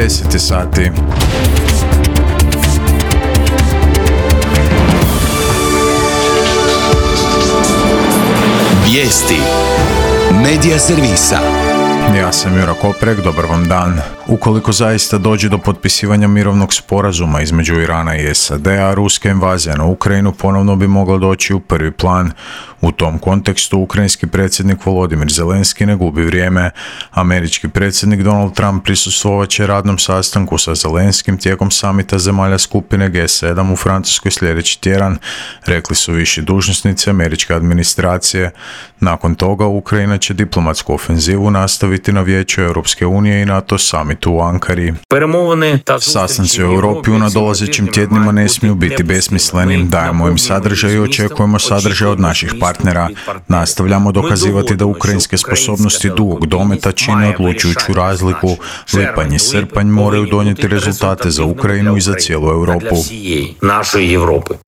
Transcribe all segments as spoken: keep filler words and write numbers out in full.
deset sati. Vijesti Medija servisa. Ja sam Jura Koprek, dobar vam dan. Ukoliko zaista dođe do potpisivanja mirovnog sporazuma između Irana i S A D-a, ruska invazija na Ukrajinu ponovno bi mogla doći u prvi plan. U tom kontekstu ukrajinski predsjednik Volodimir Zelenski ne gubi vrijeme. Američki predsjednik Donald Trump prisustvovat će radnom sastanku sa Zelenskim tijekom samita zemalja skupine G sedam u Francuskoj sljedeći tjedan, rekli su viši dužnosnici američke administracije. Nakon toga Ukrajina će diplomatsku ofenzivu nastaviti na Vijeću Europske unije i NATO samitu u Ankari. Sastanci u Europi u nadolazećim tjednima ne smiju biti besmisleni. Dajemo im sadržaj i očekujemo sadržaj od naših partnera. Nastavljamo dokazivati da ukrajinske sposobnosti dugog dometa čine odlučujuću razliku. Lipanj i srpanj moraju donijeti rezultate za Ukrajinu i za cijelu Europu.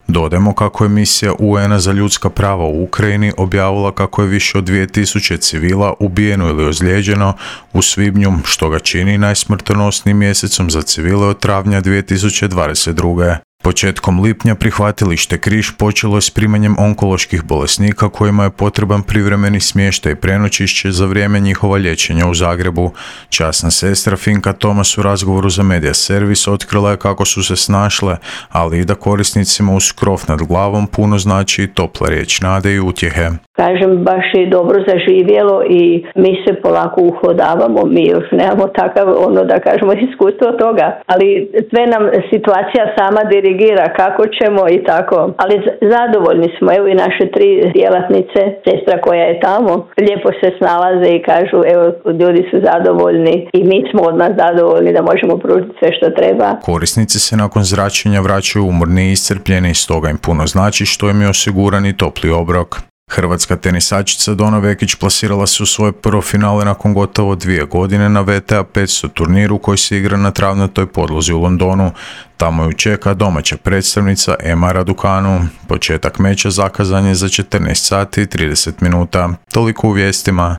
Dodajemo kako je misija U N-a za ljudska prava u Ukrajini objavila kako je više od dvije tisuće civila ubijeno ili ozlijeđeno u svibnju, što ga čini najsmrtonosnijim mjesecom za civile od travnja dvije tisuće dvadeset druge. Početkom lipnja prihvatilište Križ počelo je s primanjem onkoloških bolesnika kojima je potreban privremeni smještaj i prenoćišće za vrijeme njihova liječenja u Zagrebu. Časna sestra Finka Tomas u razgovoru za Medija servis otkrila je kako su se snašle, ali i da korisnicima uz krov nad glavom puno znači i topla riječ nade i utjehe. Kažem, baš je dobro zaživjelo i mi se polako uhodavamo, mi još nemamo takav, ono da kažemo, iskustvo toga, ali sve nam situacija sama dirigira kako ćemo i tako, ali zadovoljni smo, evo i naše tri djelatnice, sestra koja je tamo, lijepo se snalaze i kažu, evo, ljudi su zadovoljni i mi smo od nas zadovoljni da možemo pružiti sve što treba. Korisnici se nakon zračenja vraćaju umorni i iscrpljeni, stoga im puno znači što im je osiguran i topli obrok. Hrvatska tenisačica Dona Vekić plasirala se u svoje prvo finale nakon gotovo dvije godine na W T A petsto turniru koji se igra na travnatoj podlozi u Londonu. Tamo ju čeka domaća predstavnica Emma Raducanu. Početak meča zakazan je za četrnaest sati i trideset minuta. Toliko u vijestima.